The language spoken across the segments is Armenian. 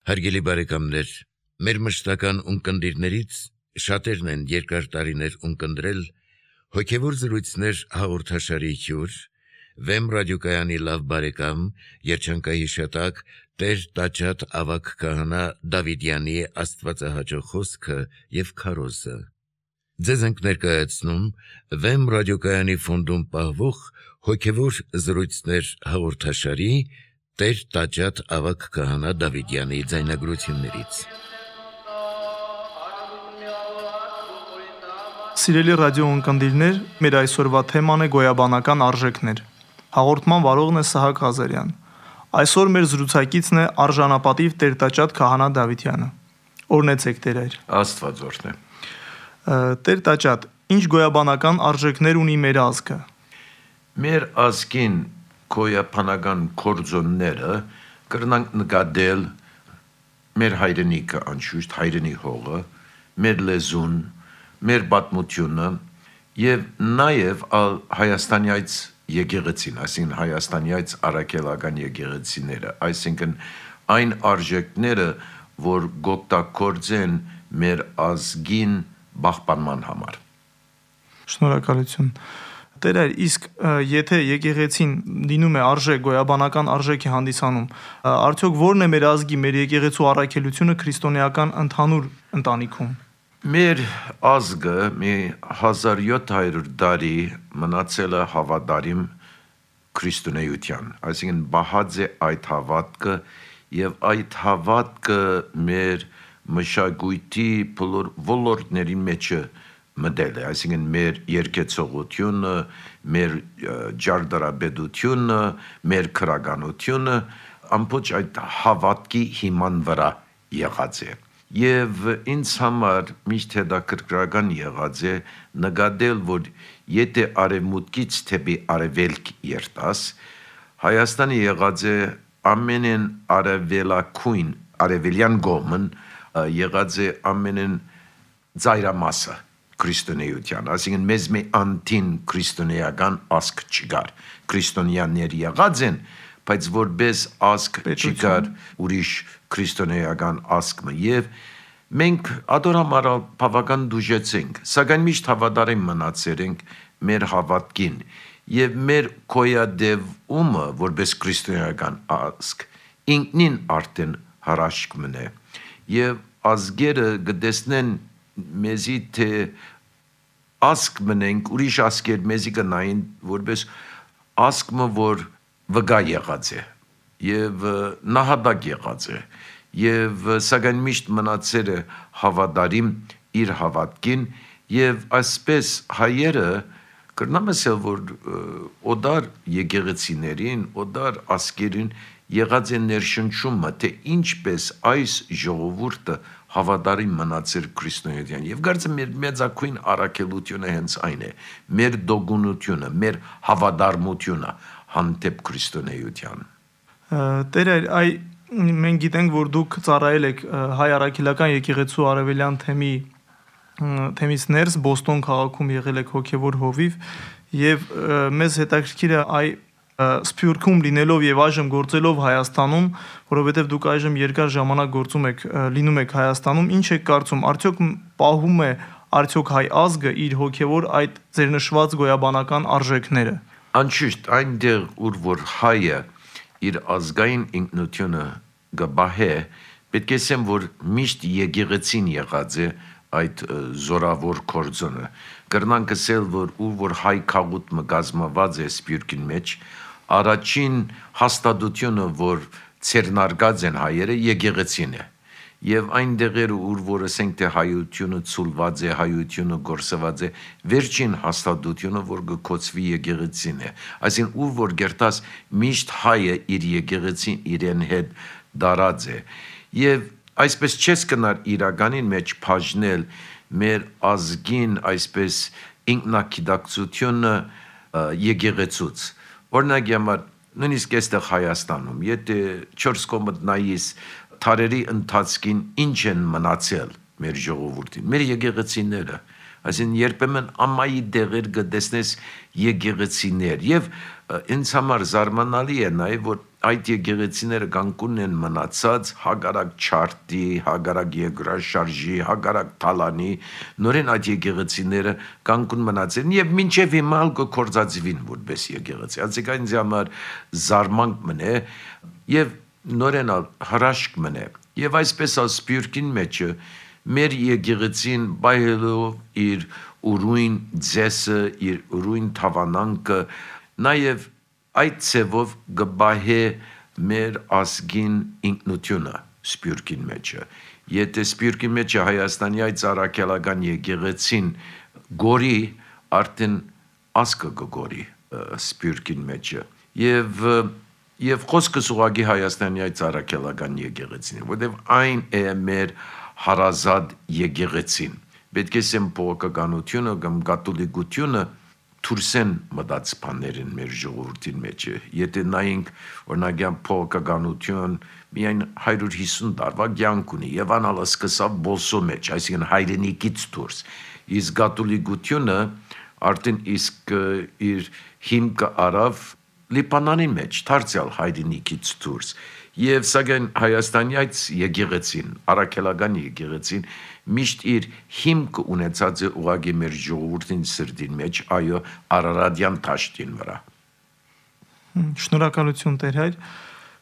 Հարգելի բարեկամներ, մեր մշտական ունկնդիրներից շատերն են երկար տարիներ ունկնդրել հոգևոր զրույցներ հաղորդաշարի հյուր, Վեմ ռադիոկայանի լավ բարեկամ, երջանկահիշատակ Տեր Տաճատ ավագ քահանա Դավիդյանի աստվածահաճո խոսքը եւ քարոզը։ Ձեզ ենք ներկայացնում Վեմ ռադիոկայանի ֆոնդում պահվող հոգևոր զրույցներ հաղորդաշարի Տեր Տաճատ ավագ քահանա Դավիդյանի ձայնագրություններից։ Սիրելի ռադիո ունկնդիրներ, մեր այսօրվա թեման է գոյաբանական արժեքներ։ Հաղորդման վարողն է Սահակ Ղազարյան։ Այսօր մեր զրուցակիցն է արժանապատիվ Տեր Տաճատ քահանա Դավիդյանը։ Օրհնեցեք Տեր։ Աստված օրհնե։ Տեր Տաճատ, ինչ գոյաբանական արժեքներ ունի մեր ազգը։ Մեր ազգին գոյաբանական կորձոնները կրնանք նկատել մեր հայրենիքը, անշուշտ հայրենի հողը, մեր լեզուն, մեր պատմությունը եւ նաեւ Հայաստանյաց եկեղեցին, այսինքն Հայաստանյաց առաքելական եկեղեցիները, այսինքն այն արժեքները, որ գոկտակորձեն մեր ազգին պահպանման համար։ Շնորհակալություն։ Տեր, իսկ եթե եկեղեցին լինում է արժեք, գոյաբանական արժեք է հանդիսանում, արդյոք ո՞րն է մեր ազգի, մեր եկեղեցու առաքելությունը քրիստոնեական ընդհանուր ընտանիքում։ Մեր ազգը մի 1700 տարի մնացել է հավատարիմ քրիստոնեության, այսինքն բահած է այդ հավատքը եւ այդ հավատքը մեր մշակույթի ոլորտների մեջ մտել է, այսինքն մեր երկեցողությունը, մեր ջարդարաբեդությունը, մեր քրագանությունը ամբողջ այդ հավատքի հիման վրա եղած է։ Եվ ինձ համար միշտ հետաքրքրական եղած է նկատել, որ եթե արևմուտքից թեպի արևելք երտաս, Հայաստանը եղած է ամենեն արևելակույն, արևելյան կողմն եղած է ամենեն ծայրամասը քրիստոնեության, այսինքն մեզ մի անտին քրիստոնեական ազգ չկար, քրիստոնյաներ եղած են, բայց որպես ազգ չկար ուրիշ քրիստոնեական ազգը եւ մենք ադորամարալ բավական դուժեցինք, սակայն միշտ հավատարիմ մնացել ենք մեր հավատքին եւ մեր կոյադևումը որպես քրիստոնեական ազգ ինքնին արդեն հրաշք մնե եւ ազգերը գտեսնեն մեզի թե ազգ մնենք, ուրիշ ազգեր մեզի կնային որպես ազգը, որ վգա եղած է եւ նահատակ եղած է եւ սակայն միշտ մնացել է հավատարիմ իր հավատքին եւ այսպես հայերը կրնամ ասել, որ օդար եկեղեցիներին, օդար ազգերին եղած է ներշնչումը, թե ինչպես այս ժողովուրդը հավատարիմ մնացել քրիստոնեության եւ կարծեմ մեր մեծակույն առաքելությունը հենց այն է, մեր դոգունությունը, մեր հավատարմությունը հանդեպ քրիստոնեության։ Տեր, մենք գիտենք, որ դուք ծառայել եք հայ առաքելական եկեղեցու արևելյան թեմից ներս Բոստոն քաղաքում եղել եք հոգևոր հովիվ եւ մեզ հետաքրքիր է Սփյուռքում լինելով եւ այժմ գործելով Հայաստանում, որովհետեւ դուք այժմ երկար ժամանակ լինում եք Հայաստանում, ինչ եք կարծում, արդյոք պահում է հայ ազգը իր հոգևոր այդ ձեր նշված գոյաբանական արժեքները։ Անշուշտ այնտեղ, որ հայը իր ազգային ինքնությունը գբահե, պետք է ասեմ, որ միշտ եկեղեցին եղած է այդ զորավոր կորձոնը։ Կրնանք ասել, որ հայ քաղուտը կազմված է Սփյուռքին մեջ, առաջին հաստատությունը, որ ցերնարգած են հայերը, եկեղեցին է։ Եվ այն դեղերը, որ ասենք թե հայությունը ցուլված է, հայությունը գործված է, վերջին հաստատությունը, որ կոչվի եկեղեցին է։ Այսինքն որ գերտաս միշտ հայը իր եկեղեցին իրեն հետ դարած է։ Եվ այսպես չես կնար իրականին մեջ բաժնել մեր ազգին այսպես ինքնակիդակցությունը եկեղեցուց։ Օրինակ համար նույնիսկ այստեղ Հայաստանում, եթե 4 կողմդ նայես թարերի ընթացքին ինչ են մնացել մեր ժողովրդին, մեր եկեղեցիները, այսինքն երբեմն ամայի դեղեր կտեսնես եկեղեցիներ եւ ինձ համար զարմանալի է նաեւ որ այդ եկեղեցիները Գանկունն են մնացած հագարակ չարտի, հագարակ երկրաշարժի, հագարակ թալանի, նորեն այդ եկեղեցիները Գանկուն մնացել եւ մինչեւ հիմա կորզածվին որպես եկեղեցի։ Այսինքն ինձ համար զարմանք մնե եւ նորեն հրաշք մնե։ Եվ այսպես Սփյուռքին մեջը մեր եկեղեցին բայելով իր ուրույն ձեսը, իր ուրույն թավանանքը, նաև այդ ցևով գբահե մեր ազգին ինքնությունը Սփյուռքին մեջը։ Եթե Սփյուռքին մեջը Հայաստանի այդ առաքելական եկեղեցին գորի, արդեն ազգը գորի Սփյուռքին մեջը։ Եվ խոսքս ուղղակի Հայաստանի այդ առաքելական եկեղեցին, որտեղ այն է մեր հարազատ եկեղեցին։ Պետք է սեմ փոխականությունը կամ կաթոլիկությունը թուրսեն մտած բաներին մեր ժողովրդին մեջ։ Եթե նայենք օրինակ փոխականություն միայն 150 տարվա կյանք ունի եւ անալը սկսավ բոլսո մեջ, այսինքն հայրենիքից դուրս։ Իսկ կաթոլիկությունը արդեն իսկ իր հիմքը արավ Լիբանանի մեջ, դարձյալ հայրենիքից դուրս։ Եվ սակայն Հայաստանի այդ եկեղեցին, առաքելական եկեղեցին միշտ իր հիմքը ունեցած է ուղղակի մեր ժողովրդին սրտին մեջ, այո, Արարատյան դաշտին վրա։ Շնորհակալություն Տեր հայր։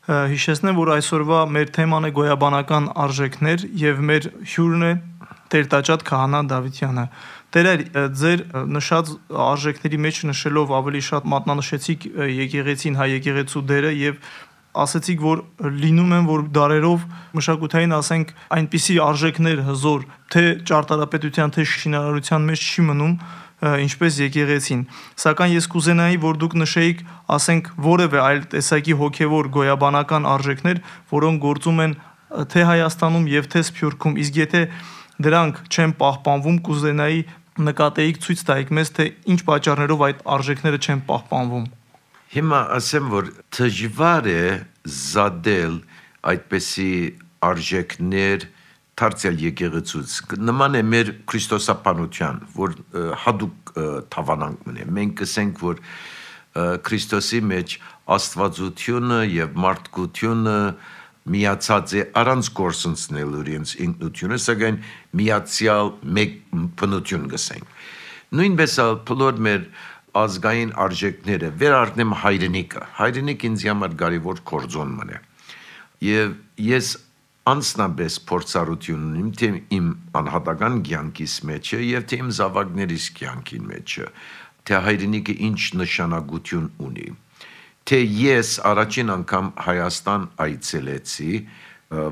Հիշեցնեմ, որ այսօրվա մեր թեման է գոյաբանական արժեքներ եւ մեր հյուրն է Տեր Տաճատ Քահանա Դավթյանը։ Տեր հայր, ձեր նշած արժեքների մեջ նշելով ավելի շատ մատնանշեցիք եկեղեցին, հայ եկեղեցու դերը եւ ասացիք, որ լինում են, որ դարերով մշակութային, ասենք, այնպիսի արժեքներ հզոր, թե ճարտարապետության, թե շինարարության մեջ չի մնում, ինչպես եկեղեցին։ Սակայն ես կուզենայի, որ դուք նշեիք, ասենք, որևէ այլ տեսակի հոգևոր գոյաբանական արժեքներ, որոնք գործում են թե Հայաստանում եւ թե Սփյուռքում, իսկ եթե դրանք չեն պահպանվում, կուզենայի նկատեիք ցույց տայիք մեզ, թե ինչ պատճառներով այդ արժեքները չեն պահպանվում։ Հիմա ասեմ, որ դժվար է զադել այդպիսի արժեքներ դարձյալ եկեղեցուց։ Նման է մեր քրիստոսապանության, որ հadouk թավանանք մնե։ Մենք կսենք, որ Քրիստոսի մեջ աստվածությունը եւ մարդկությունը միացած է առանց գործընծնելու իրենց ինքնությունը, սակայն միացյալ մեկ բնություն գսենք։ Նույնպես բոլոր մեր ազգային արժեքները վերառնեմ հայրենիքը։ Հայրենիքը ինձ համար կարևոր գործոն մնե։ Եվ ես անձնապես փորձառություն ունիմ թե իմ անհատական կյանքիս մեջ եւ թե իմ զավակներիս կյանքին մեջ, թե հայրենիքը ինչ նշանակություն ունի։ Թե ես առաջին անգամ Հայաստան այցելեցի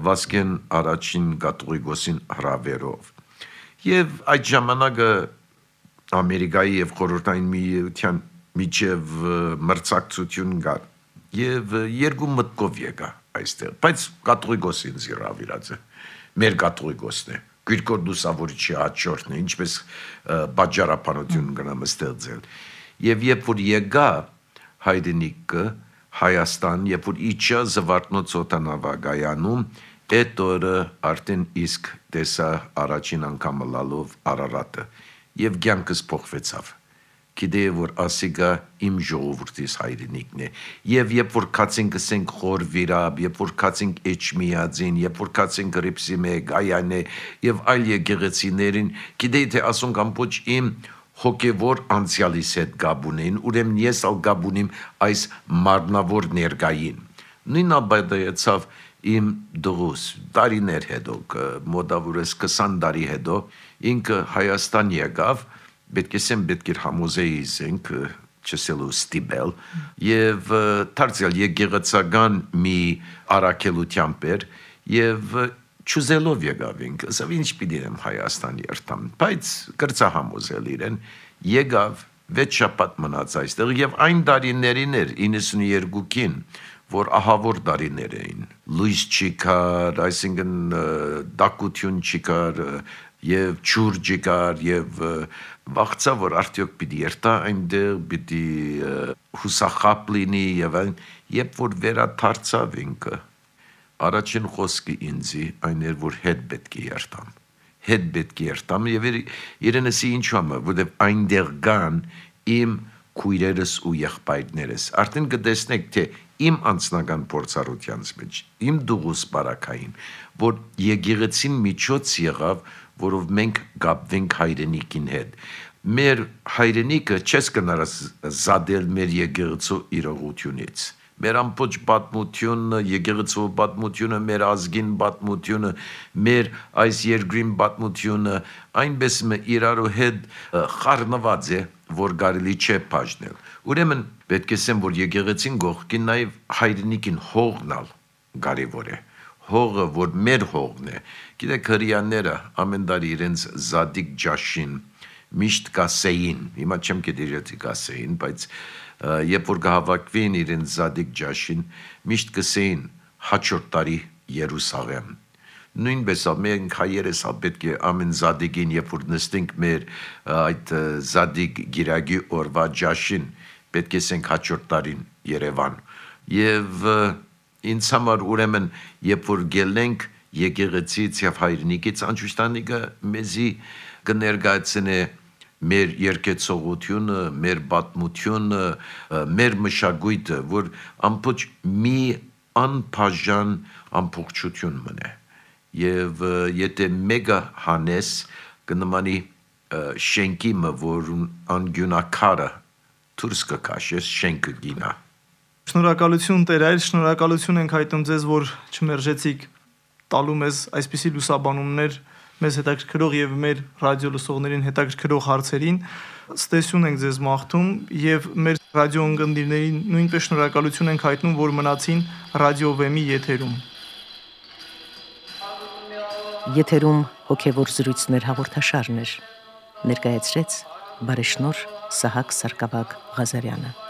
Վասկեն առաջին կաթողիկոսին հրավերով։ Եվ այդ ժամանակը Ամերիկայի եւ Խորհրդային Միության միջև մրցակցություն կար։ Եվ երկու մտքով եկա այստեղ, բայց կաթողիկոսին զիրավիրած է։ Մեր կաթողիկոսն է։ Գրիգոր Լուսավորիչի հաջորդն է, ինչպես բաժարապանություն գնամ ստեղծել։ Եվ երբ որ եկա հայրենիքը Հայաստան, երբ որ իջա Զվարթնոց օդանավակայանում, այդ օրը արդեն իսկ տեսա առաջին անգամ լալով Արարատը եւ կյանքս փոխվեցավ։ Գիտեի, որ ասիգա իմ ժողովրդիս հայրենիքն է։ Եվ երբ որ կացենք ասենք Խորվիրապ, երբ որ կացենք Էջմիածին, երբ որ կացենք Ռիփսիմե, Գայանե եւ այլ եկեղեցիներին, գիտեի թե ասոնք ամբողջ իմ հոգևոր անցյալիս հետ գաբ ունեն, ուրեմն ես ալ գաբ ունիմ այս մարմնավոր ներկային։ Նույնն ապայեցավ իմ դղուս, տարիներ հետո, մոտավորապես 20 տարի հետո, ինքը Հայաստան եկավ, պետք է համոզեի զենք, չսելու ստիպել, եւ դարձյալ եկեղեցական մի առաքելությամբ էր, եւ չուզելով եկավ ինքը, ասավ ինչ պիտի եմ Հայաստան երթամ, բայց կրծա համոզել իրեն, եկավ 6 շաբաթ մնաց այստեղ եւ այն տարիներին էր 92-ին, որ ահավոր տարիներ էին, լույս չկար, այսինքն դակություն չկար եւ ջուր չկար եւ վախցա որ արդյոք պիտի երթա այնտեղ, պիտի հուսախապ լինի եւ այն, երբ որ վերադարձավ ինքը առաջին խոսքը ինձի այն էր, որ հետ պետք է երթամ եւ իրենեսի ինչու համար, որտեւ այնտեղ կան իմ քույրերս ու եղբայրներս, արդեն կտեսնեք, թե իմ անձնական փորձառությանց մեջ, իմ դուղուս բարակային, որ եկեղեցին միջոց եղավ, որով մենք գապվենք հայրենիքին հետ։ Մեր հայրենիքը չես կնարս զադել մեր եկեղեցու իրողությունից։ Մեր ամբողջ պատմությունը, եկեղեցու պատմությունը, մեր ազգին պատմությունը, մեր այս երկրին պատմությունը այնպես իրարու հետ խառնված է, որ կարելի չէ բաժնել։ Ուրեմն պետք է ասեմ, որ եկեղեցին գողքին նաև հայրենիքին հողնալ կարևոր է։ Հողը, որ մեր հողն է։ Գիտեք, հրեաները ամեն տարի իրենց զադիկ ջաշին միշտ կասեին, հիմա չեմ գիտի իրացի կասեին, բայց երբ որ կհավաքվեին իրենց զադիկ ջաշին, միշտ կսեին հաջորդ տարի Երուսաղեմ։ Նույնպես մենք հայերս պետք է ամեն զադիկին, երբ որ նստենք մեր այդ զադիկ գիրագի օրվա ջաշին, պետք է ասենք հաջորդ տարին Երևան։ Եվ ինձ համար ուրեմն, երբ որ գելենք եկեղեցից եւ հայրենիքից, անջուշտանիկը մեզի կներկայացնե մեր երկեցողությունը, մեր պատմությունը, մեր մշակույթը, որ ամբողջ մի անբաժան ամբողջություն մնե։ Եվ եթե մեկը հանես կնմանի շենքի մը, որ անգյունակարը դուրս կքաշես, շենքը գինա։ Շնորհակալություն Տեր այլ, շնորհակալություն ենք հայտնում ձեզ, որ չմերժեցիք տալու մեզ այսպիսի լուսաբանումներ մեզ հետաքրքրող եւ մեր ռադիո լսողներին հետաքրքրող հարցերին։ Ստեսյուն ենք ձեզ մաղթում եւ մեր ռադիո ընկերներին նույնպես շնորհակալություն ենք հայտնում, որ մնացին ռադիո Վեմի եթերում։ Եթերում հոգևոր զրույցներ հաղորդաշարներ ներկայացրեց բարեշնորհ Սահակ Սարգսակ Ղազարյանը։